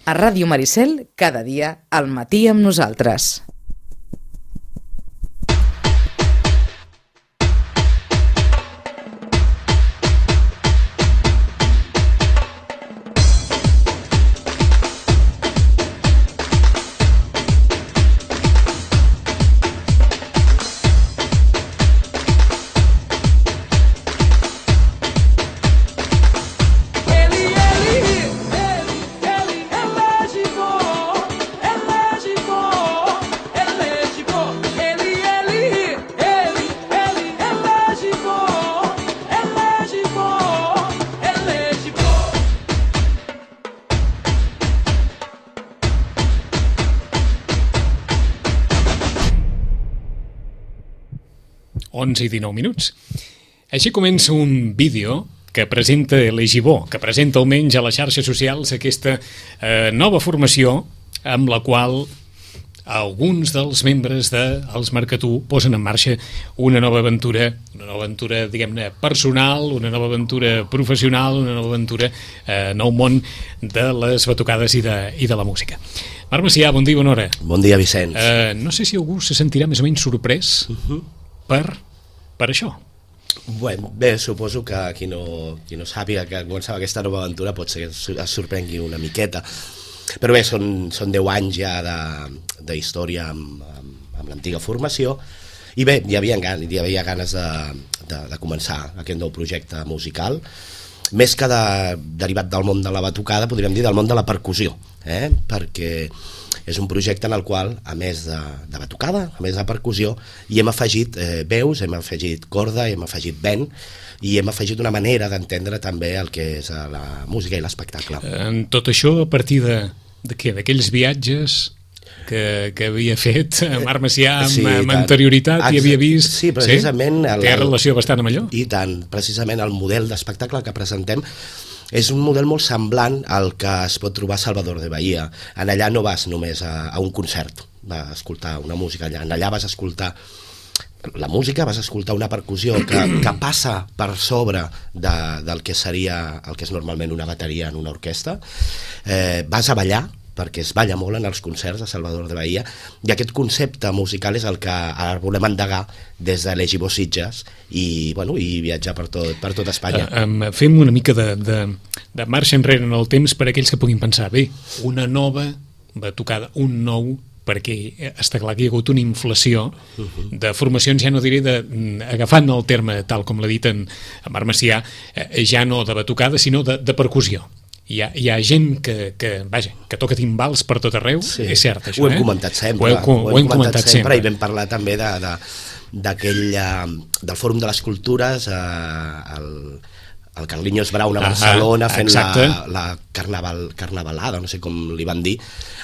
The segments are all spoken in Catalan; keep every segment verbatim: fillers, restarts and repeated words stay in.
A Ràdio Maricel, cada dia al matí amb nosaltres. onze i dinou minuts. Així comença un vídeo que presenta l'Egibó, que presenta almenys a les xarxes socials aquesta eh, nova formació amb la qual alguns dels membres dels Marcatú posen en marxa una nova aventura, una nova aventura, diguem-ne, personal, una nova aventura professional, una nova aventura eh, nou món de les batucades i de, i de la música. Marc Macià, bon dia, bona hora. Bon dia, Vicenç. Eh, no sé si algú se sentirà més o menys sorprès uh-huh. per... per això. Bueno, bé, suposo que qui no, qui no sàpiga que començava aquesta nova aventura pot ser que es sorprengui una miqueta, però bé, són, són deu anys ja d'història amb, amb, amb l'antiga formació i bé, hi havia, hi havia ganes de, de, de començar aquest nou projecte musical, més que de, derivat del món de la batucada, podríem dir del món de la percussió, eh? Perquè és un projecte en el qual, a més de, de batucada, a més de percussió, hi hem afegit eh, veus, hem afegit corda, hem afegit vent, i hem afegit una manera d'entendre també el que és la música i l'espectacle. En tot això, a partir de, de què? D'aquells viatges que, que havia fet Marc Macià amb, sí, amb anterioritat i havia vist... Sí, precisament... Sí? Té relació bastant amb allò? I tant, precisament el model d'espectacle que presentem és un model molt semblant al que es pot trobar a Salvador de Bahia. En allà no vas només a, a un concert, a escoltar una música allà. En allà vas a escoltar la música, vas a escoltar una percussió que, que passa per sobre de, del que seria el que és normalment una bateria en una orquestra. Eh, vas a ballar, perquè es balla molt en els concerts de Salvador de Bahia, i aquest concepte musical és el que ara volem endegar des de l'Egibó Sitges i, bueno, i viatjar per tot, per tot Espanya. Uh, um, fem una mica de, de, de marxa enrere en el temps per a aquells que puguin pensar, bé, una nova batucada, un nou, perquè està clar que hi ha hagut una inflació uh-huh. de formacions, ja no diré de, agafant el terme tal com l'ha dit en, en Marc Macià, eh, ja no de batucada sinó de, de percussió. Hi ha, hi ha gent que, que, vaja, que toca timbals per tot arreu, sí. És cert això, ho hem eh? comentat sempre, ho, heu, ho, ho hem comentat, comentat sempre. sempre i vam parlar també de, de, d'aquell, uh, del Fòrum de les Cultures, uh, el, el Carlinhos Brown a Barcelona, ah, fent la, la carnaval, carnavalada, no sé com li van dir.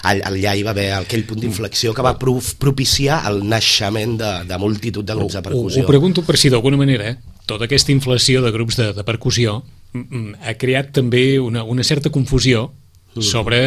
Allà hi va haver aquell punt d'inflexió que va propiciar el naixement de, de multitud de grups de percussió. Ho, ho pregunto per si d'alguna manera eh, tota aquesta inflació de grups de, de percussió ha creat també una, una certa confusió sobre,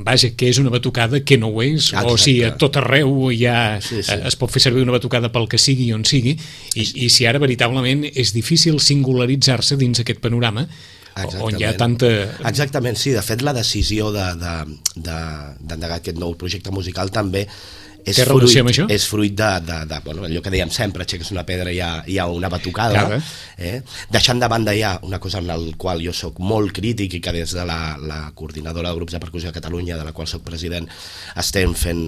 vaja, què és una batucada, què no ho és. Exacte. O si a tot arreu ja sí, sí. es pot fer servir una batucada pel que sigui on sigui, i, i si ara veritablement és difícil singularitzar-se dins aquest panorama. Exactament. On hi ha tanta... Exactament, sí, de fet la decisió de, de, de, d'endegar aquest nou projecte musical també és té relació amb això? És fruit de, de, de bueno, allò que dèiem sempre, aixeques una pedra i hi ha, hi ha una batucada, eh? Deixant de banda ja una cosa en la qual jo sóc molt crític i que des de la, la coordinadora de grups de percussió de Catalunya, de la qual sóc president, estem fent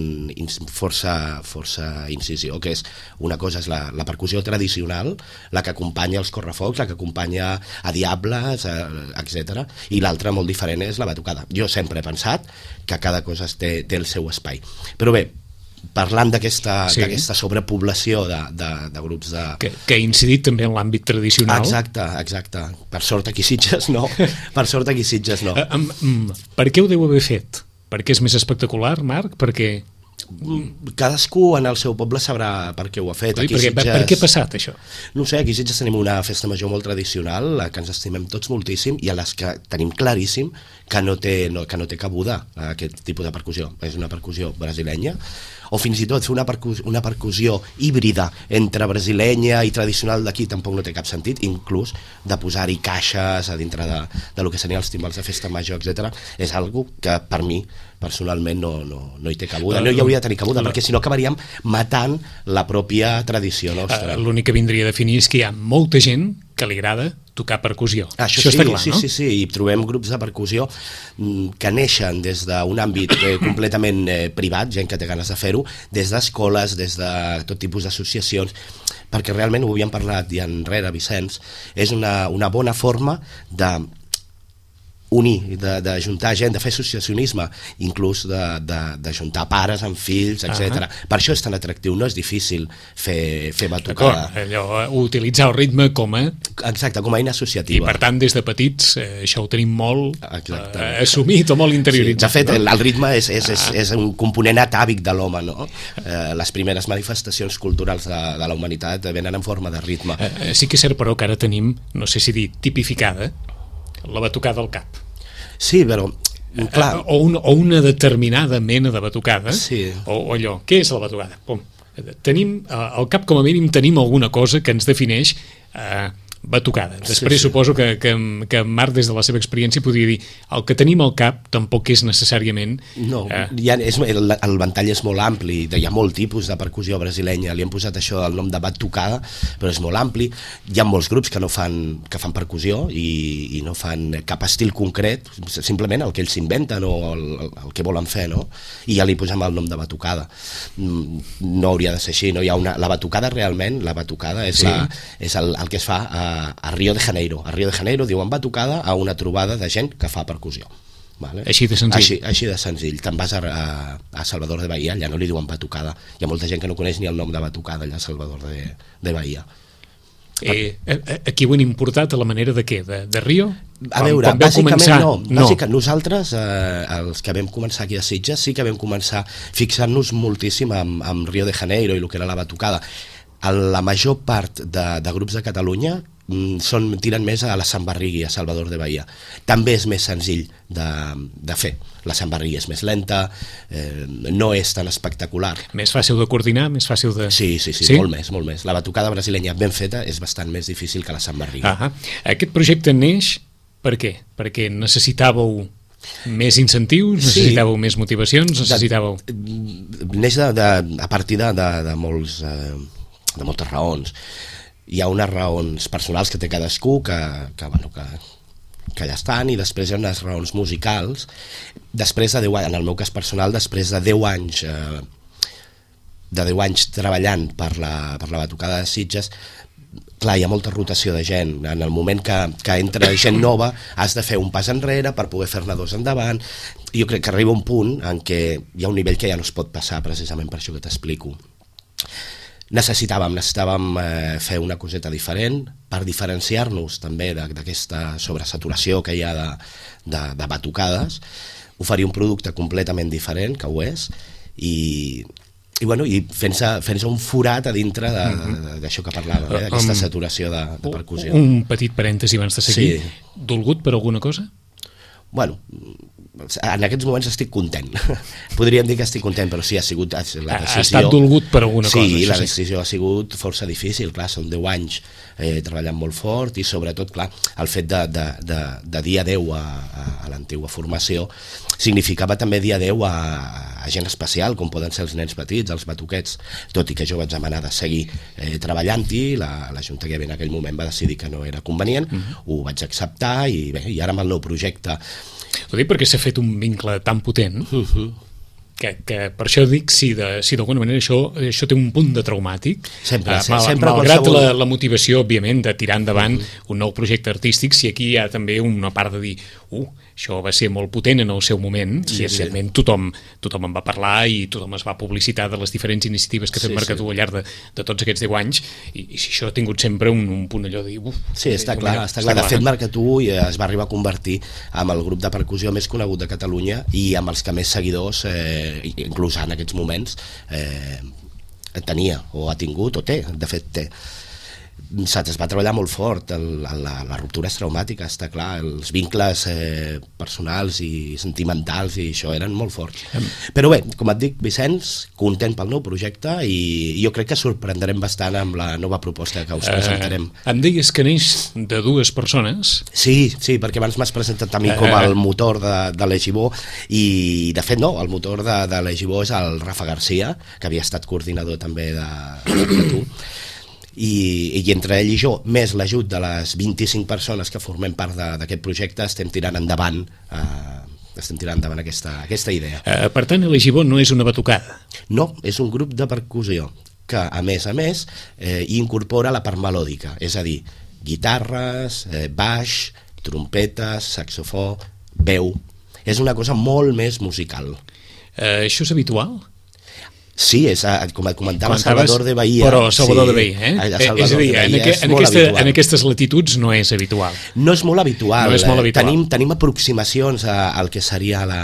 força, força incisió, que és una cosa és la, la percussió tradicional, la que acompanya els correfocs, la que acompanya a Diables, etcètera, i l'altra molt diferent és la batucada. Jo sempre he pensat que cada cosa té, té el seu espai. Però bé, parlant d'aquesta sí. d'aquesta sobrepoblació de, de, de grups de... Que, que ha incidit també en l'àmbit tradicional. Exacte, exacte. Per sort aquí Sitges no. Per sort aquí Sitges no. Uh, um, um, per què ho deu haver fet? Perquè és més espectacular, Marc? Perquè... Cadascú en el seu poble sabrà per què ho ha fet. Ui, per, què, Sitges... per què ha passat això? No sé, aquí a Sitges tenim una festa major molt tradicional, que ens estimem tots moltíssim, i a les que tenim claríssim que no té, no, que no té cabuda aquest tipus de percussió. És una percussió brasilenya, o fins i tot fer una, percus una percussió híbrida entre brasilenya i tradicional d'aquí tampoc no té cap sentit, inclús de posar-hi caixes a dintre de, de lo que serien els timbals de festa major, etcètera. És algo que per mi personalment no, no, no hi té cabuda, no hi hauria de tenir cabuda, perquè si no acabaríem matant la pròpia tradició nostra. L'únic que vindria a definir és que hi ha molta gent que li agrada tocar percussió. Això, Això sí, està clar, sí, no? Sí, sí, i trobem grups de percussió que neixen des d'un àmbit eh, completament eh, privat, gent que té ganes de fer-ho, des d'escoles, des de tot tipus d'associacions, perquè realment ho havíem parlat ja enrere, Vicenç, és una, una bona forma de unir, de, de juntar gent, de fer associacionisme, inclús de, de, de juntar pares amb fills, etcètera. Uh -huh. Per això és tan atractiu, no és difícil fer, fer batucada. Allò, utilitzar el ritme com a... Exacte, com a eina associativa. I per tant, des de petits, eh, això ho tenim molt eh, assumit o molt interioritzat. Sí, de fet, no? el, el ritme és, és, és, és un component atàvic de l'home, no? Eh, les primeres manifestacions culturals de, de la humanitat venen en forma de ritme. Eh, sí que és cert, però, que ara tenim, no sé si dir, tipificada, la batucada al cap. Sí, però, clar... O, un, o una determinada mena de batucada, sí. o, o allò. Què és la batucada? Pum. Tenim, al cap com a mínim tenim alguna cosa que ens defineix eh, batucada. Després sí, sí. suposo que, que, que Marc, des de la seva experiència, podria dir el que tenim al cap tampoc és necessàriament... No, eh... ja és, el, el ventall és molt ampli, hi ha molt tipus de percussió brasilenya, li hem posat això el nom de batucada, però és molt ampli, hi ha molts grups que no fan, que fan percussió i, i no fan cap estil concret, simplement el que ells s'inventen o el, el que volen fer, no? I ja li posem el nom de batucada. No hauria de ser així, no? Hi ha una, la batucada realment, la batucada és, sí. la, és el, el que es fa a a Rio de Janeiro. A Rio de Janeiro diuen batucada a una trobada de gent que fa percussió. Vale? Així de senzill. Així, així de senzill. Te'n vas a, a, a Salvador de Bahia, allà no li diuen batucada. Hi ha molta gent que no coneix ni el nom de batucada allà a Salvador de, de Bahia. Eh, aquí ho han importat a la manera de què? De, de Rio? A veure, quan, quan bàsicament començar... no. no. Bàsicament, nosaltres, eh, els que vam començar aquí a Sitges, sí que vam començar fixant-nos moltíssim amb, amb Rio de Janeiro i el que era la batucada. La major part de, de grups de Catalunya són, tiren més a la Sambarrigui, a Salvador de Bahia. També és més senzill de, de fer. La Sambarrigui és més lenta, eh, no és tan espectacular. Més fàcil de coordinar, més fàcil de... Sí, sí, sí, sí? molt més, molt més. La batucada brasilenya ben feta és bastant més difícil que la Sambarrigui. Ah, aquest projecte neix per què? Perquè necessitàveu més incentius, necessitàveu sí. més motivacions, necessitàveu... De, neix de, de, a partir de, de, de, molts, eh, de moltes raons. Hi ha unes raons personals que té cadascú que, que, bueno, que, que ja estan, i després hi ha unes raons musicals. Després de deu anys, en el meu cas personal, després de deu anys eh, de deu anys treballant per la, per la batucada de Sitges, clar, hi ha molta rotació de gent. En el moment que, que entra gent nova has de fer un pas enrere per poder fer-ne dos endavant. Jo crec que arriba un punt en què hi ha un nivell que ja no es pot passar, precisament per això que t'explico. Necessitàvem, necessitàvem eh, fer una coseta diferent per diferenciar-nos també d'aquesta sobresaturació que hi ha de, de, de batucades, oferir un producte completament diferent, que ho és, i, i, bueno, i fent-se fent-se un forat a dintre d'això que parlàvem, eh, d'aquesta saturació de, de percussió. Un petit parèntesi abans de seguir. Sí. Dolgut per alguna cosa? Bueno, en aquests moments estic content. Podríem dir que estic content, però sí, ha sigut la decisió... Ha estat dolgut per alguna sí, cosa. Sí, la decisió ha sigut força difícil, clar, són deu anys eh, treballant molt fort, i sobretot, clar, el fet de, de, de, de dir adeu a, a, a l'antiga formació significava també dir adeu a, a gent especial, com poden ser els nens petits, els batuquets, tot i que jo vaig demanar de seguir eh, treballant-hi, la, la Junta que en aquell moment va decidir que no era convenient, uh-huh. ho vaig acceptar, i bé, i ara amb el nou projecte... Ho dic perquè s'ha fet un vincle tan potent uh-huh. que, que per això dic si d'alguna si manera això, això té un punt de traumàtic, sempre, uh, mal, sempre malgrat qualsevol... la, la motivació òbviament de tirar endavant uh-huh. un nou projecte artístic, si aquí hi ha també una part de dir uh, això va ser molt potent en el seu moment, sí, i evidentment sí. tothom, tothom en va parlar i tothom es va publicitar de les diferents iniciatives que ha fet sí, Mercatú sí. al llarg de, de tots aquests deu anys, i, i si això ha tingut sempre un, un punt allò de dir uf, sí, està clar, està clar. De fet Mercatú es va arribar a convertir amb el grup de percussió més conegut de Catalunya i amb els que més seguidors eh, eh, inclús en aquests moments eh, tenia o ha tingut o té, de fet té. Es va treballar molt fort, el, la, la ruptura és traumàtica, està clar, els vincles eh, personals i sentimentals i això eren molt forts. Però bé, com et dic, Vicenç, content pel nou projecte i jo crec que sorprendrem bastant amb la nova proposta que us presentarem. Eh, em deies que neix de dues persones? Sí, sí, perquè abans m'has presentat a mi com el motor de, de l'Egibó i de fet no, el motor de, de l'Egibó és el Rafa Garcia, que havia estat coordinador també de, de tu. I, i entre ell i jo, més l'ajut de les vint-i-cinc persones que formem part d'aquest projecte, estem tirant endavant eh, estem tirant endavant aquesta, aquesta idea. Eh, per tant, l'Egibó no és una batucada? No, és un grup de percussió que, a més a més, eh, incorpora la part melòdica, és a dir, guitarres, eh, baix, trompetes, saxofó, veu. És una cosa molt més musical. Eh, això és habitual? Sí, és, com et comentava, Salvador de Bahia. Però Salvador sí, de Bahia, eh? Salvador és a dir, de Bahia en, aqu és en, aquesta, habitual. en aquestes latituds no és habitual. No és molt habitual. No és molt habitual. Tenim, tenim aproximacions a, al que seria la,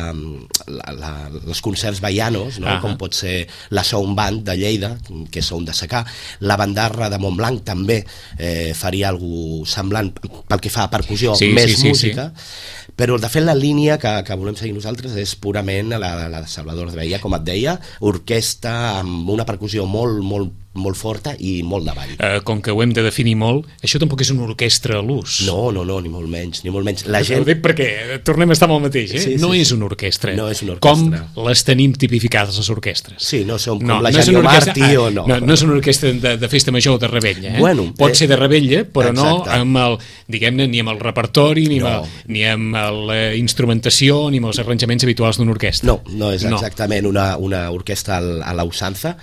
la, la, els concerts baianos, no? Uh -huh. Com pot ser la Sound Band de Lleida, que és Sound de Secà, la Bandarra de Montblanc també eh, faria alguna semblant pel que fa a percussió, sí, més sí, sí, música, sí. Però de fet la línia que, que volem seguir nosaltres és purament la, la de Salvador de Bahia, com et deia, orquestra amb una percussió molt, molt, molt forta i molt de ball. Uh, com que ho hem de definir molt, això tampoc és una orquestra a l'ús. No, no, no, ni molt menys, ni molt menys. La gent... Ho dic perquè tornem a estar amb el mateix, eh? Sí, sí, no sí. és una orquestra. No és una orquestra. Com les tenim tipificades les orquestres. Sí, no som com no, la no Janio orquestra, Martí ah, o no. No, no és una orquestra de, de festa major o de rebella, eh? Bueno, pot eh, ser de rebella, però exacte. no amb el, diguem-ne, ni amb el repertori, ni, No. amb, el, ni amb la instrumentació, ni amb els arranjaments habituals d'una orquestra. No, no és exactament una, una orquestra a la usança.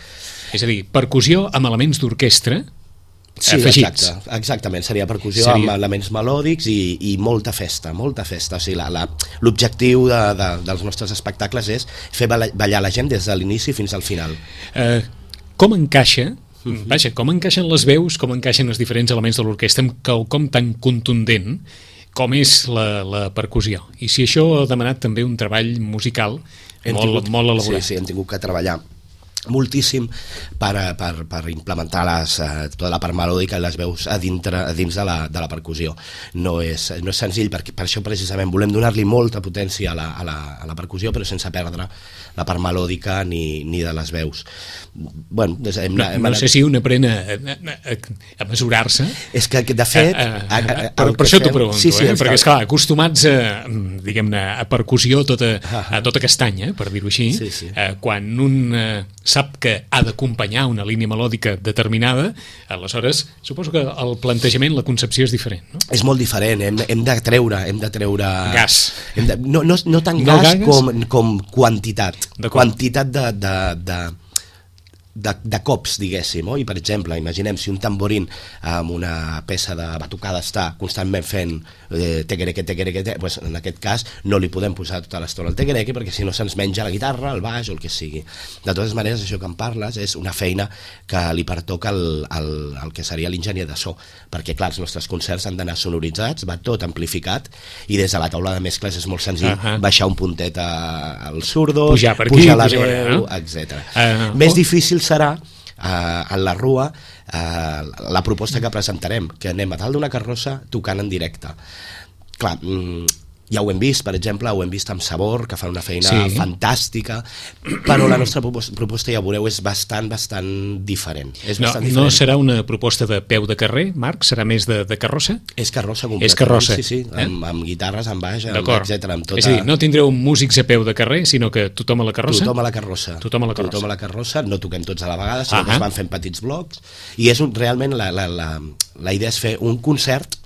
És a dir, percussió amb elements d'orquestra sí, afegits. Exacte, exactament, seria percussió seria... amb elements melòdics i, i molta festa, molta festa. O sigui, l'objectiu de, de, dels nostres espectacles és fer ballar la gent des de l'inici fins al final. Eh, com encaixa, uh-huh. vaja, com encaixen les veus, com encaixen els diferents elements de l'orquestra amb quelcom tan contundent com és la, la percussió? I si això ha demanat també un treball musical hem molt, tingut, molt elaborat. Sí, sí, hem tingut que treballar moltíssim per, per, per implementar les, eh, tota la part melòdica i les veus a, dintre, a dins de la, de la percussió. No és, no és senzill, perquè per això precisament volem donar-li molta potència a la, a, la, a la percussió, però sense perdre la part melòdica ni, ni de les veus. Bueno, des, hem, no, hem no anat... sé si un aprèn a, a, a mesurar-se. És que, de fet... A, a, a, a, a, per, per això t'ho pregunto, sí, sí, eh? perquè, està... esclar, acostumats a, diguem-ne, a percussió tota, a tota castanya, per dir-ho així, sí, sí. Eh, quan un eh, sap que ha d'acompanyar una línia melòdica determinada, aleshores suposo que el plantejament, la concepció és diferent, no? És molt diferent, hem, hem de treure hem de treure gas, hem de, no, no, no tant no gas gagues? com, com quantitat quantitat de, de, de De, de cops, diguéssim, oh? I per exemple, imaginem si un tamborín amb una peça de batucada està constantment fent eh, tequereque, tequereque, te, pues en aquest cas no li podem posar tota l'estona al tequereque perquè si no se'ns menja la guitarra, el baix o el que sigui. De totes maneres, això que em parles és una feina que li pertoca al, al, al que seria l'enginyer de so, perquè clar, els nostres concerts han d'anar sonoritzats, va tot amplificat i des de la taula de mescles és molt senzill uh -huh. baixar un puntet a, als surdos, pujar per aquí, pujar la pujar veu, no? etcètera. Uh, oh. Més difícil serà uh, en la Rua uh, la proposta que presentarem, que anem a dalt d'una carrossa tocant en directe. Clar, mm, ja ho hem vist, per exemple, ho hem vist amb Sabor, que fan una feina sí. fantàstica, però la nostra proposta, ja veureu, és bastant, bastant diferent. És no, bastant diferent. No serà una proposta de peu de carrer, Marc? Serà més de, de carrossa? És carrossa completament. És carrossa. Sí, sí, eh? amb, amb guitarres, amb baix, etcètera. Amb tota... És a dir, no tindreu músics a peu de carrer, sinó que tothom a la carrossa? Tothom a la carrossa. Tothom a la carrossa. Tothom a la carrossa, no toquem tots a la vegada, sinó uh -huh. que es van fent petits blocs, i és un, realment la, la, la, la idea és fer un concert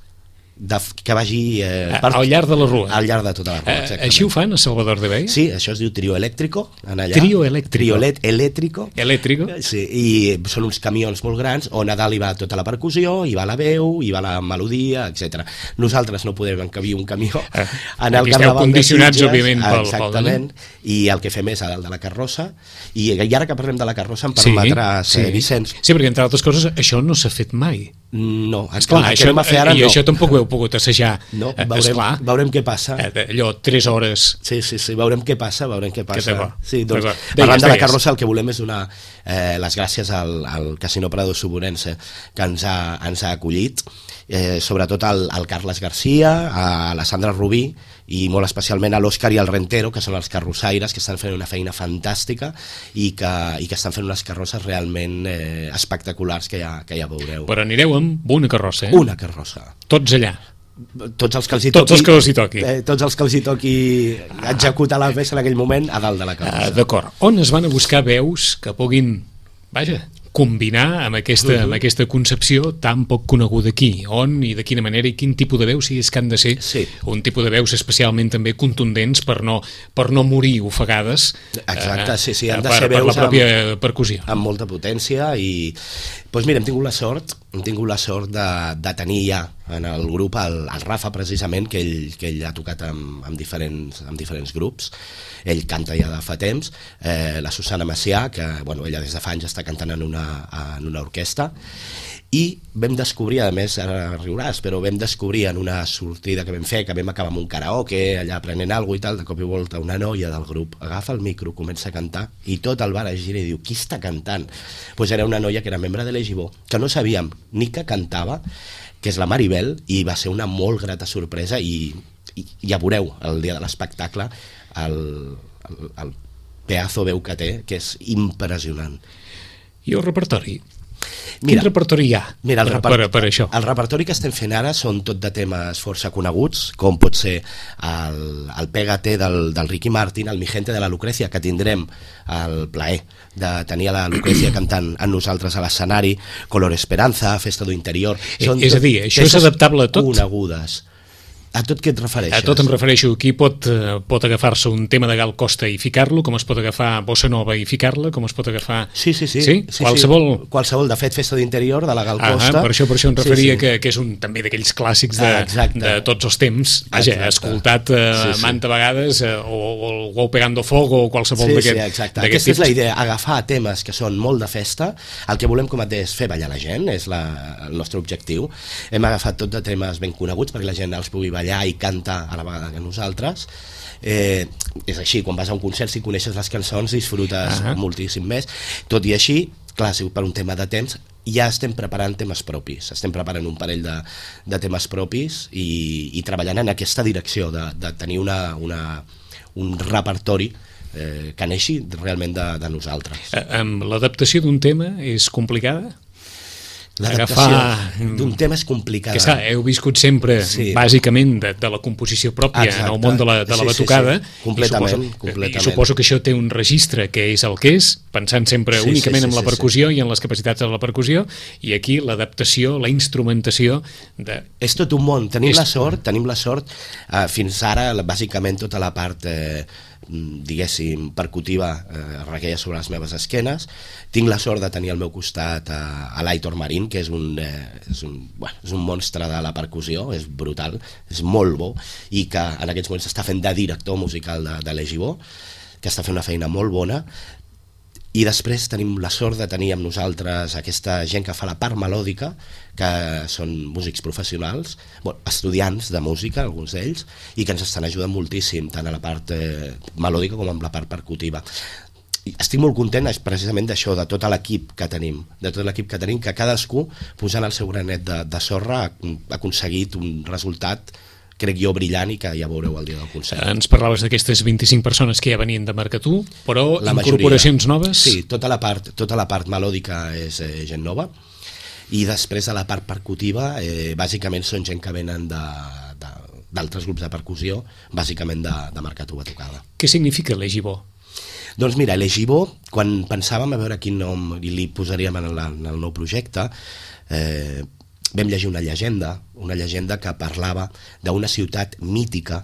de, que vagi eh, per, al llarg de la Rua, al llarg de tota la Rua, exactament. Així ho fan a Salvador de Bahia? Sí, això es diu Trio Eléctrico en allà. Trio Eléctrico Trio Eléctrico Eléctrico sí, i són uns camions molt grans on a dalt hi va tota la percussió, hi va la veu, hi va la melodia, etcètera. Nosaltres no podem encabir un camió eh, en el aquí carnaval esteu condicionats, de òbviament, pel, exactament, pel i el que fem és a dalt de la carrossa, i, i ara que parlem de la carrossa em permetràs, sí, eh, sí. Vicenç. Sí, perquè entre altres coses això no s'ha fet mai. No, esclar, el això, que anem a fer ara i no. això tampoc ho heu pogut assajar. No, Eh, veurem, esclar, veurem què passa. eh, allò, tres hores. Sí, sí, sí, veurem què passa, veurem què passa. té bo. Sí, doncs, D'acord. parlant Deies, de la deies. carrossa, el que volem és donar eh, les gràcies al, al Casino Prado Suburense, que ens ha, ens ha acollit, eh, sobretot al, al Carles Garcia, a la Sandra Rubí, i molt especialment a l'Òscar i al Rentero, que són els carrossaires, que estan fent una feina fantàstica i que, i que estan fent unes carrosses realment eh, espectaculars que ja, que ja veureu. Però anireu amb una carrossa, eh? Una carrossa. Tots allà. Tots els que els hi Tots toqui, els que els hi toqui. Eh, tots els que els hi toqui executar la peça en aquell moment a dalt de la Ah, carrossa. D'acord. On es van a buscar veus que puguin, vaja, combinar amb aquesta, uh -huh. amb aquesta concepció tan poc coneguda aquí? On i de quina manera i quin tipus de veus, si és que han de ser Sí. un tipus de veus especialment també contundents per no, per no morir ofegades. Exacte, sí, sí, han de per, ser per la veus pròpia amb, percussió. amb molta potència i doncs mira, hem tingut la sort hem tingut la sort de, de tenir ja en el grup el, el Rafa precisament, que ell, que ell ha tocat amb, amb, diferents, amb diferents grups, ell canta ja de fa temps, eh, la Susana Macià, que bueno, ella des de fa anys està cantant en una, en una orquestra, i vam descobrir, a més, ara riuràs, però vam descobrir en una sortida que vam fer, que vam acabar amb un karaoke, allà aprenent alguna cosa i tal, de cop i volta una noia del grup agafa el micro, comença a cantar, i tot el bar es gira i diu, qui està cantant? Doncs pues era una noia que era membre de l'Egibó, que no sabíem ni que cantava, que és la Maribel, i va ser una molt grata sorpresa, i, i ja veureu el dia de l'espectacle el, el, el pedazo veu que té, que és impressionant. I el repertori? Mira, Quin repertori hi ha Mira, el, per, reper per, per això? el repertori que estem fent ara són tot de temes força coneguts, com pot ser el, el Pégate del, del Ricky Martin, el Mi Gente de la Lucrecia, que tindrem el plaer de tenir a la Lucrecia cantant amb nosaltres a l'escenari, Color Esperanza, Festa do Interior... Eh, és a dir, això és peces adaptable a tot? Conegudes. A tot què et refereixes? A tot em refereixo, aquí pot, eh, pot agafar-se un tema de Gal Costa i ficar-lo, com es pot agafar Bossa Nova i ficar-la, com es pot agafar... Sí, sí, sí. Sí? sí Qualsevol... Sí. Qualsevol, de fet, Festa d'Interior, de la Gal Costa... Ah, per això, per això em referia sí, sí. Que, que és un també d'aquells clàssics de, Exacte. de tots els temps. Vaja, Exacte. escoltat eh, Sí, sí. manta vegades, eh, o, o el Go Pegando Fogo, o qualsevol Sí, d'aquest sí, exacte. d'aquest Aquesta és la tipus. idea, agafar temes que són molt de festa, el que volem com a és fer ballar la gent, és la, el nostre objectiu. Hem agafat tot de temes ben coneguts perquè la gent els pugui ballar i cantar a la vegada que nosaltres. Eh, és així, quan vas a un concert, si coneixes les cançons, disfrutes Ah. moltíssim més. Tot i així, clar, si per un tema de temps, ja estem preparant temes propis, estem preparant un parell de, de temes propis i, i treballant en aquesta direcció de, de tenir una, una, un repertori eh, que neixi realment de, de nosaltres. Eh, amb l'adaptació d'un tema és complicada? L'adaptació agafar- d'un tema és complicada. Que està, heu viscut sempre, Sí. bàsicament, de, de la composició pròpia Exacte. en el món de la, de la Sí, sí, batucada. sí. Completament, I suposo, completament. I suposo que això té un registre que és el que és, pensant sempre Sí, únicament sí, sí, en la sí, percussió i en les capacitats de la percussió, i aquí l'adaptació, la instrumentació de... És tot un món, tenim És- la sort, tenim la sort, eh, fins ara, la- bàsicament tota la part, eh, diguéssim, percutiva eh, requeia sobre les meves esquenes. Tinc la sort de tenir al meu costat a, a l'Aitor Marín, que és un, eh, és, un, bueno, és un monstre de la percussió, és brutal, és molt bo, i que en aquests moments està fent de director musical de, de l'Egibó, que està fent una feina molt bona. I després tenim la sort de tenir amb nosaltres aquesta gent que fa la part melòdica, que són músics professionals, bueno, estudiants de música, alguns d'ells, i que ens estan ajudant moltíssim, tant a la part eh, melòdica com amb la part percutiva. I estic molt content és precisament d'això, de tot l'equip que tenim, de tot l'equip que tenim, que cadascú, posant el seu granet de, de sorra, ha, ha aconseguit un resultat, crec jo, brillant, i que ja veureu el dia del concert. Ens parlaves d'aquestes vint-i-cinc persones que ja venien de Marcatú, però La incorporacions majoria. noves? Sí, tota la part, tota la part melòdica és eh, gent nova, i després de la part percutiva, eh, bàsicament són gent que venen de, de, d'altres grups de percussió, bàsicament de, de Marcatú a tocada. Què significa l'Egibó? Doncs mira, l'Egibó, quan pensàvem a veure quin nom li posaríem en, la, en el nou projecte, eh, vam llegir una llegenda, una llegenda que parlava d'una ciutat mítica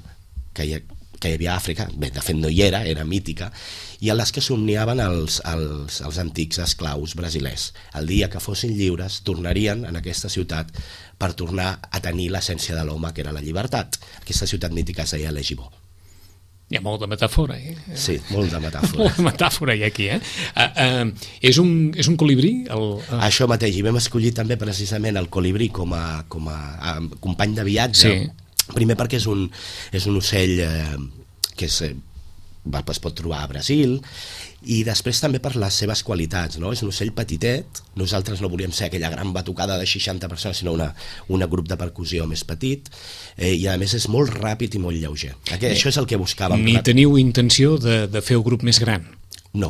que hi, que hi havia a Àfrica, bé, de fet no hi era, era mítica, i a les que somniaven els, els, els antics esclaus brasilers. El dia que fossin lliures tornarien en aquesta ciutat per tornar a tenir l'essència de l'home, que era la llibertat. Aquesta ciutat mítica es deia l'Egibó. Hi ha molt de metàfora, eh? Sí, molt de metàfora. Molt de metàfora hi ha aquí, eh? Uh, uh, és, un, és un colibrí? El, uh... Això mateix, i vam escollir també precisament el colibrí com a, com a, a company de viatge. Sí. Primer perquè és un, és un ocell eh, que és, eh, es pot trobar a Brasil, i després també per les seves qualitats, no? És un ocell petitet, nosaltres no volíem ser aquella gran batucada de seixanta persones, sinó una, una grup de percussió més petit, eh, i a més és molt ràpid i molt lleuger. Aquest, això és el que buscàvem. Ni teniu intenció de, de fer un grup més gran? No.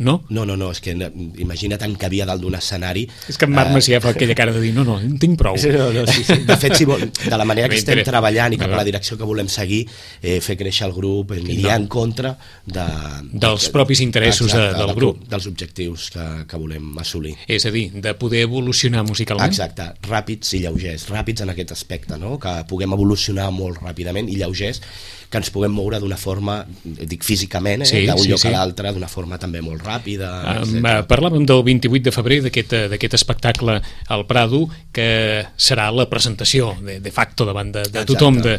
No? No, no, no, és que imagina't en cabia dalt d'un escenari. És que en Marc Macià fa aquella cara de dir no, no, en tinc prou. Sí, no, no, sí, sí. De fet, si vol, de la manera que estem treballant i cap no, a la direcció que volem seguir, eh, fer créixer el grup, aniria no. en contra de, dels de, propis interessos exacte, de, del grup. Dels objectius que, que volem assolir. És a dir, de poder evolucionar musicalment. Exacte, ràpids i lleugers, ràpids en aquest aspecte, no? Que puguem evolucionar molt ràpidament i lleugers, que ens puguem moure d'una forma, dic físicament, eh, sí, d'un sí, lloc sí. a l'altre, d'una forma també molt ràpida. Um, parlàvem del vint-i-vuit de febrer d'aquest espectacle al Prado, que serà la presentació de, de facto davant de, de tothom de,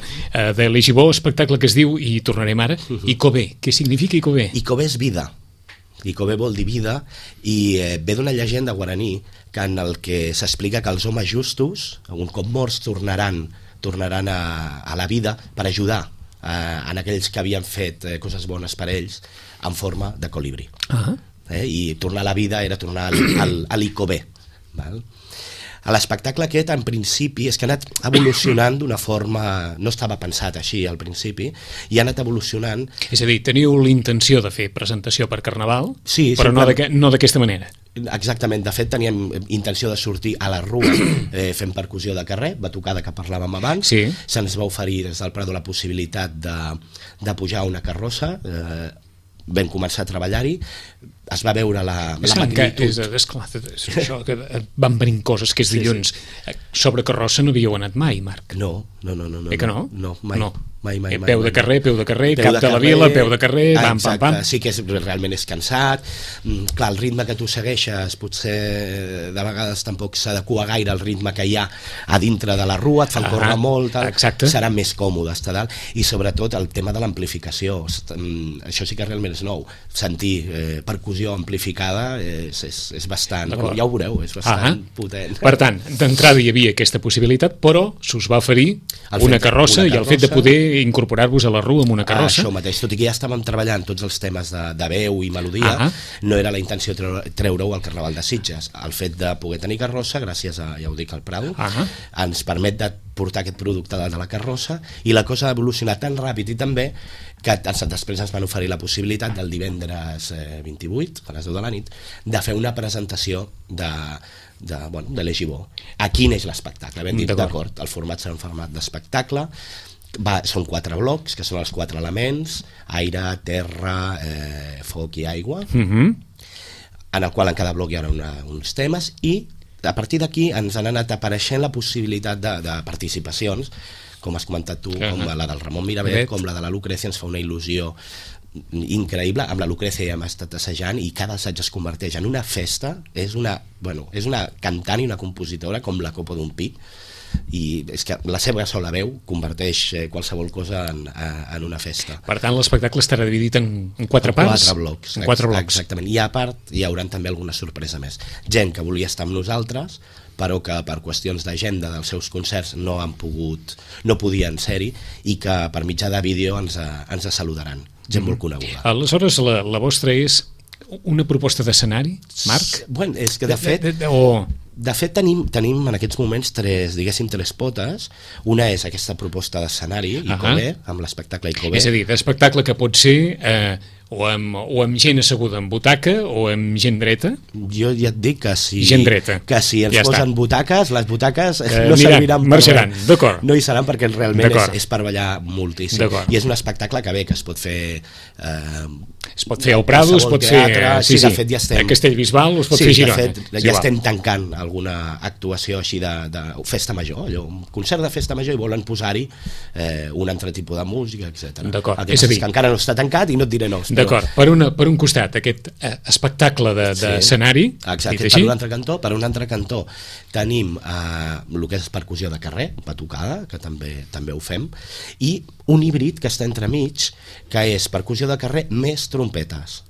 de l'Egibó, espectacle que es diu, i tornarem ara, uh -huh. Icobé. Què significa Icobé? Icobé és vida. Icobé vol dir vida, i eh, ve d'una llegenda guaraní que en el que s'explica que els homes justos, un cop morts, tornaran, tornaran a, a la vida per ajudar Eh, en aquells que havien fet eh, coses bones per ells en forma de colibrí. Uh-huh. eh, i tornar a la vida era tornar al, al, a l'Icobé, val? A l'espectacle aquest, en principi, és que ha anat evolucionant d'una forma... No estava pensat així al principi, i ha anat evolucionant... És a dir, teniu l'intenció de fer presentació per Carnaval, sí, però sempre... no d'aquesta manera. Exactament, de fet teníem intenció de sortir a la rua eh, fent percussió de carrer, batucada que parlàvem abans, sí. Se'ns va oferir des del Prado la possibilitat de, de pujar a una carrossa, eh, vam començar a treballar-hi, es va veure la, la magnitud. És, és clar, és això, que van venint coses que és dilluns. Sí, sí. Sobre carrossa no havíeu anat mai, Marc? No, no, no. no, no eh que no? No, mai. No. Mai, mai, mai, peu de carrer, peu de carrer, peu cap de, de la carrer, vila, peu de carrer, pam, exacte, pam, pam. Sí que és, realment és cansat. Mm, clar, el ritme que tu segueixes potser de vegades tampoc s'adequa gaire al ritme que hi ha a dintre de la rua, et fan ah, córrer molt, tal. Serà més còmode estar dalt, i sobretot el tema de l'amplificació. Això sí que realment és nou. Sentir eh, percussió amplificada és, és, és bastant, ja ho veureu, és bastant ah, potent. Per tant, d'entrada hi havia aquesta possibilitat, però s'us va oferir una carrossa, una carrossa i el fet de poder incorporar-vos a la rua amb una carrossa. Ah, això mateix, tot i que ja estàvem treballant tots els temes de, de veu i melodia, ah, no era la intenció treure-ho al Carnaval de Sitges. El fet de poder tenir carrossa, gràcies a, ja ho dic, al Prado, ah, ens permet de portar aquest producte de la carrossa, i la cosa ha evolucionat tan ràpid i tan bé que després ens van oferir la possibilitat del divendres eh, vint-i-vuit, a les deu de la nit, de fer una presentació de de, bueno, de l'Egibó. Aquí neix l'espectacle, ben dit, d'acord, el format serà un format d'espectacle, va, són quatre blocs, que són els quatre elements, aire, terra, eh, foc i aigua, uh-huh. en el qual en cada bloc hi haurà una, uns temes, i a partir d'aquí ens han anat apareixent la possibilitat de, de participacions, com has comentat tu, uh-huh. com la del Ramon Miravet, com la de la Lucrecia, ens fa una il·lusió increïble. Amb la Lucrecia ja hem estat assajant i cada assaig es converteix en una festa. És una, bueno, és una cantant i una compositora com la copa d'un pi, i és que la seva sola veu converteix qualsevol cosa en, en una festa. Per tant, l'espectacle estarà dividit en, en quatre parts? Quatre blocs, en quatre blocs. Exactament. I a part hi haurà també alguna sorpresa més. Gent que volia estar amb nosaltres, però que per qüestions d'agenda dels seus concerts no han pogut, no podien ser-hi, i que per mitjà de vídeo ens, ens saludaran. Gent molt coneguda. Aleshores, la, la vostra és una proposta d'escenari, Marc? Bueno, és que de fet... De, de, de, o... de fet tenim, tenim en aquests moments tres, diguéssim, tres potes. Una és aquesta proposta d'escenari, Icobé, uh-huh. amb l'espectacle Icobé. És a dir, d'espectacle que pot ser... Eh, o amb, o amb gent asseguda en butaca o amb gent dreta. Jo ja et dic que si, gent dreta. Que si ens ja posen està. butaques, les butaques eh, no serviran per marxaran, d'acord. No hi seran, perquè realment és, és per ballar moltíssim. I és un espectacle que bé, que es pot fer... Eh, es pot fer al Prado, es pot teatre, fer... Sí, sí, de fet ja estem... A Castellbisbal es pot sí, fer a Girona. De fet, ja estem tancant alguna actuació així de, de festa major, allò, un concert de festa major, i volen posar-hi eh, un altre tipus de música, etcètera. D'acord. És a dir, que encara no està tancat i no et diré no. D'acord, per, una, per un costat, aquest eh, espectacle d'escenari, de, sí. Exacte, per un altre cantó, per un altre cantó tenim eh, el que és percussió de carrer, batucada, que també també ho fem, i un híbrid que està entremig, que és percussió de carrer més trompetes,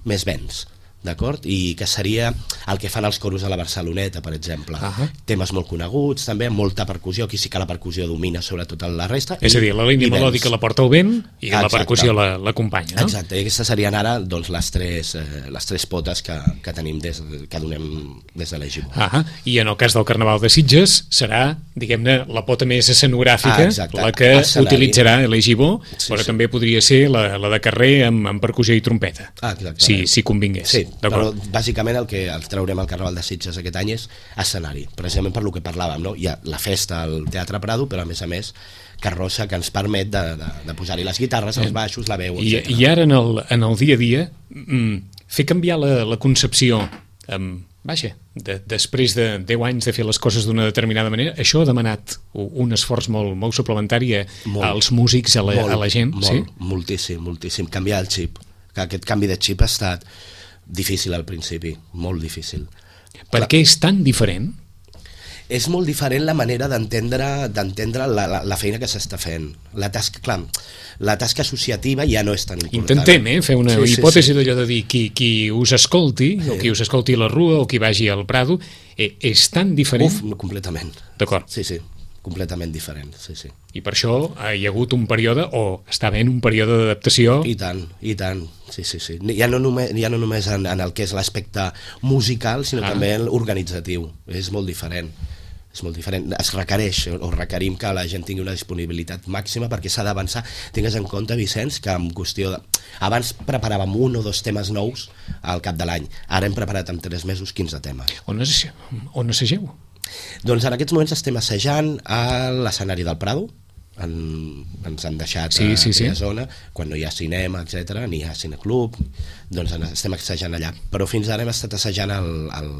més vents. D'acord? I que seria el que fan els coros a la Barceloneta, per exemple. Uh -huh. Temes molt coneguts, també, amb molta percussió, aquí sí que la percussió domina sobre tota la resta. És i, a dir, la línia melòdica la porta el vent i Exacte. La percussió l'acompanya, no? Exacte, i aquestes serien ara doncs, les, tres, eh, les tres potes que, que tenim des, que donem des de l'Egibó. Uh -huh. I en el cas del Carnaval de Sitges serà, diguem-ne, la pota més escenogràfica, ah, la que Escenari. utilitzarà l'Egibó, sí, però sí. també podria ser la, la de carrer amb, amb percussió i trompeta, ah, si, si convingués. Sí. Però bàsicament el que el traurem al Carnaval de Sitges aquest any és escenari, precisament per lo que parlàvem, no? Hi ha la festa al Teatre Prado, però a més a més carrossa que ens permet de, de, de posar-hi les guitarres, els baixos, la veu, I, etcètera. I ara en el, en el dia a dia mm, fer canviar la, la concepció um, vaja, de, després de deu anys de fer les coses d'una determinada manera, això ha demanat un esforç molt, molt suplementari a, molt, als músics, a la, molt, a la gent, molt, sí? Moltíssim, moltíssim, canviar el xip, que aquest canvi de xip ha estat difícil al principi, molt difícil. Per què és tan diferent? És molt diferent la manera d'entendre d'entendre la, la, la feina que s'està fent. La tasca, clar, la tasca associativa ja no és tan important. Intentem eh, fer una sí, hipòtesi sí, sí. d'allò de dir qui, qui us escolti, sí. o qui us escolti a la Rua, o qui vagi al Prado, eh, és tan diferent? Uf, completament. D'acord. Sí, sí, completament diferent, sí, sí. I per això hi ha hagut un període, o està havent un període d'adaptació? I tant, i tant, sí, sí, sí. Ja no només, ja no només en, en el que és l'aspecte musical, sinó ah. també l'organitzatiu. És molt diferent. És molt diferent. Es requereix, o requerim que la gent tingui una disponibilitat màxima perquè s'ha d'avançar. Tingues en compte, Vicenç, que en qüestió de... Abans preparàvem un o dos temes nous al cap de l'any. Ara hem preparat en tres mesos quinze temes. On, es, on assageu? Doncs en aquests moments estem assajant a l'escenari del Prado. En, ens han deixat sí, sí, a aquella sí. zona, quan no hi ha cinema, etcètera, ni hi ha cineclub, doncs estem assajant allà. Però fins ara hem estat assajant el, el,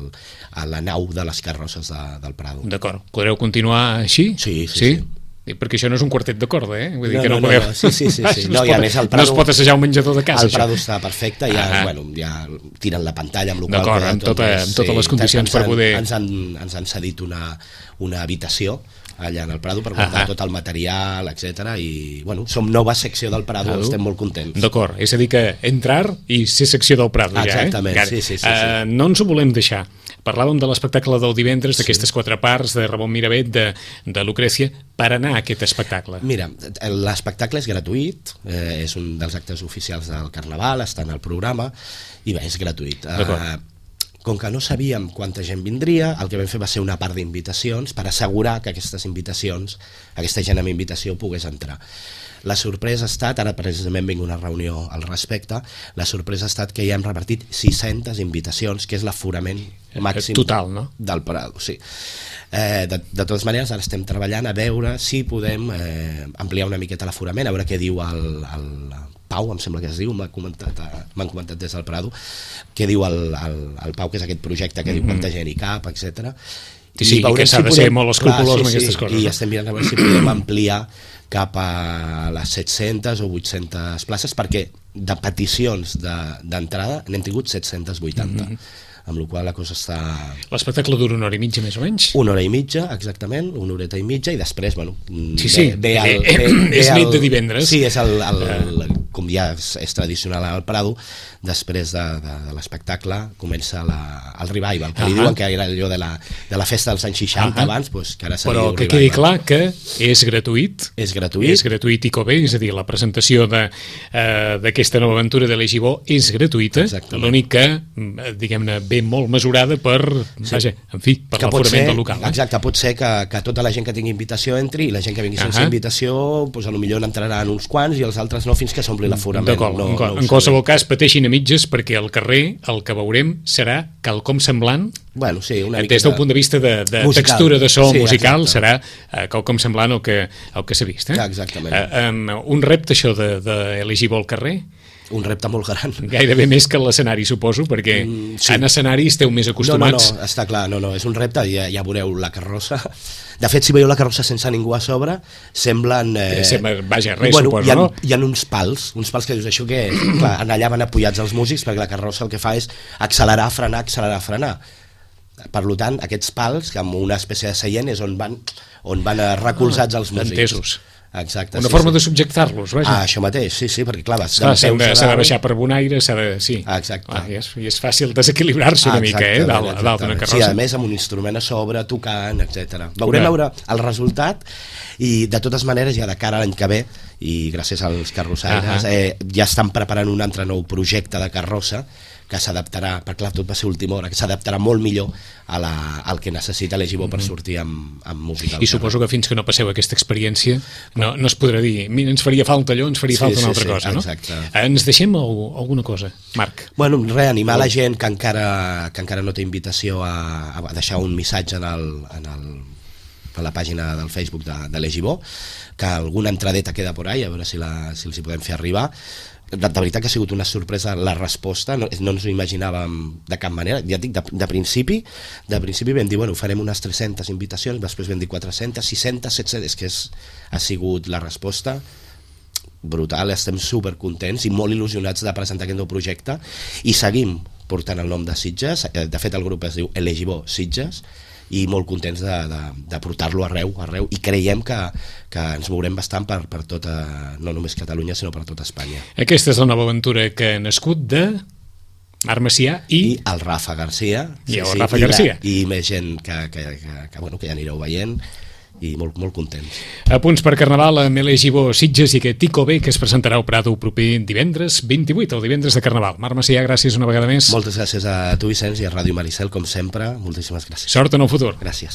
a la nau de les carrosses de, del Prado. D'acord. Podreu continuar així? Sí, sí, sí. sí? I perquè això no és un quartet de corda, eh? Vull dir no, que no, no, podeu... no, sí, sí, sí, sí. no, no, es pot, més, el Prado, no es pot assajar un menjador de casa, el Prado això. està perfecte, ja, ah. bueno, ja tiren la pantalla amb, D'acord, amb, tota, amb totes sí, les condicions per poder... Ens han, ens han cedit una, una habitació allà en el Prado per guardar ah, ah. tot el material, etcètera. I bueno, som nova secció del Prado, Prado. Estem molt contents. D'acord, és a dir que entrar i ser secció del Prado. Exactament, ja, eh? sí, sí, sí, uh, sí. No ens ho volem deixar. Parlàvem de l'espectacle del divendres, sí. d'aquestes quatre parts, de Ramon Miravet, de, de Lucrècia, per anar a aquest espectacle. Mira, l'espectacle és gratuït, eh, és un dels actes oficials del Carnaval, està en el programa, i bé, és gratuït. Eh, com que no sabíem quanta gent vindria, el que vam fer va ser una part d'invitacions per assegurar que aquestes invitacions, aquesta gent amb invitació pogués entrar. La sorpresa ha estat, ara precisament vinc una reunió al respecte, la sorpresa ha estat que ja hem repartit sis-centes invitacions, que és l'aforament màxim total, no? del Prado, sí. Eh, de, de totes maneres, ara estem treballant a veure si podem eh, ampliar una miqueta l'aforament, a veure què diu el, el Pau, em sembla que es diu, m'han comentat, m'han comentat des del Prado, què diu el, el, el Pau, que és aquest projecte que mm-hmm. diu quanta gent hi cap, etcètera. Sí, sí, i que s'ha si de podem, ser molt escrupolós amb sí, aquestes coses. I no? estem mirant a veure si podem ampliar cap a les set-centes o vuit-centes places, perquè de peticions d'entrada de, n'hem tingut set-cents vuitanta. Mm-hmm. Amb la qual la cosa està... L'espectacle dura una hora i mitja, més o menys? Una hora i mitja, exactament, una horeta i mitja, i després, bueno... Sí, sí, ve, ve el, ve, ve, ve és el, nit de divendres. Sí, és el, el, el, com ja és, és tradicional al Prado, després de, de, de l'espectacle comença la, el revival, que uh -huh. li diuen que era allò de la, de la festa dels anys seixanta uh -huh. abans, pues, que ara se Però diu que revival. quedi clar que és gratuït. És gratuït. És gratuït i cové, és a dir, la presentació d'aquesta uh, nova aventura de l'Egibó és gratuïta, l'únic que, diguem-ne, ve molt mesurada per, sí. vaja, en fi, per l'aforament del local. Eh? Exacte, pot ser que, que tota la gent que tingui invitació entri i la gent que vingui sense uh -huh. invitació, pues, potser n'entraran uns quants i els altres no fins que s'ompli l'aforament. D'acord, no, no en qualsevol cas pateixin a mitges perquè al carrer el que veurem serà quelcom semblant, bueno, sí, una des del punt de vista de, de textura de so sí, musical, exacte. serà uh, quelcom semblant al que, al que s'ha vist. Eh? Exactament. Uh, um, un repte això de, de l'Egibó al carrer? un repte molt gran. Gairebé més que l'escenari, suposo, perquè mm, sí. en escenari esteu més acostumats. No, no, no, està clar, no, no, és un repte, ja, ja veureu la carrossa. De fet, si veieu la carrossa sense ningú a sobre, semblen... Eh, Sembla, vaja, res, bueno, suposo, hi ha, no? Hi ha uns pals, uns pals que dius això que, clar, allà van apoyats els músics, perquè la carrossa el que fa és accelerar, frenar, accelerar, frenar. Per tant, aquests pals, que amb una espècie de seient, és on van, on van recolzats els músics. Entesos. Exacte. Una sí, forma sí. de subjectar-los, vaja. Ah, això mateix, sí, sí, perquè clar, vas S'ha de, de baixar per bon aire, s'ha de... Sí. Ah, exacte. Ah, i, és, I és fàcil desequilibrar-se una ah, mica, eh, dalt, dalt d'una carrossa. Sí, a més, amb un instrument a sobre, tocant, etcètera. Veurem veure el resultat i, de totes maneres, ja de cara a l'any que ve, i gràcies als carrossaires, uh -huh. eh, ja estan preparant un altre nou projecte de carrossa que s'adaptarà, perquè clar, tot va ser última hora, que s'adaptarà molt millor a la, al que necessita l'Egibó per sortir amb, amb música. I suposo que fins que no passeu aquesta experiència no, no es podrà dir, mira, ens faria falta allò, ens faria sí, falta sí, una altra sí, cosa, no? Exacte. Ens deixem alguna cosa, Marc? Bueno, reanimar la gent que encara, que encara no té invitació a, a deixar un missatge en, el, en, el, en la pàgina del Facebook de, de l'Egibó, que alguna entradeta queda por ahí, a veure si, la, si els hi podem fer arribar. De, de veritat que ha sigut una sorpresa la resposta, no, no ens ho imaginàvem de cap manera, ja et dic, de, de principi de principi vam dir, bueno, farem unes tres-centes invitacions, després vam dir quatre-centes, sis-centes, set-centes, és que és, ha sigut la resposta brutal, estem supercontents i molt il·lusionats de presentar aquest nou projecte i seguim portant el nom de Sitges, de fet el grup es diu l'Egibó Sitges, i molt contents de, de, de portar-lo arreu, arreu i creiem que, que ens mourem bastant per, per tota, no només Catalunya sinó per tota Espanya. Aquesta és la nova aventura que ha nascut de Marc Macià i... I el Rafa Garcia i el sí, Rafa sí, Garcia i, la, i més gent que, que, que, que, bueno, que ja anireu veient i molt, molt contents. A punts per Carnaval amb l'Egibó Sitges i aquest Tico B que es presentarà al Prado proper divendres vint-i-vuit, el divendres de Carnaval. Marc Macià, gràcies una vegada més. Moltes gràcies a tu, Vicenç, i a Ràdio Maricel, com sempre. Moltíssimes gràcies. Sort en el futur. Gràcies.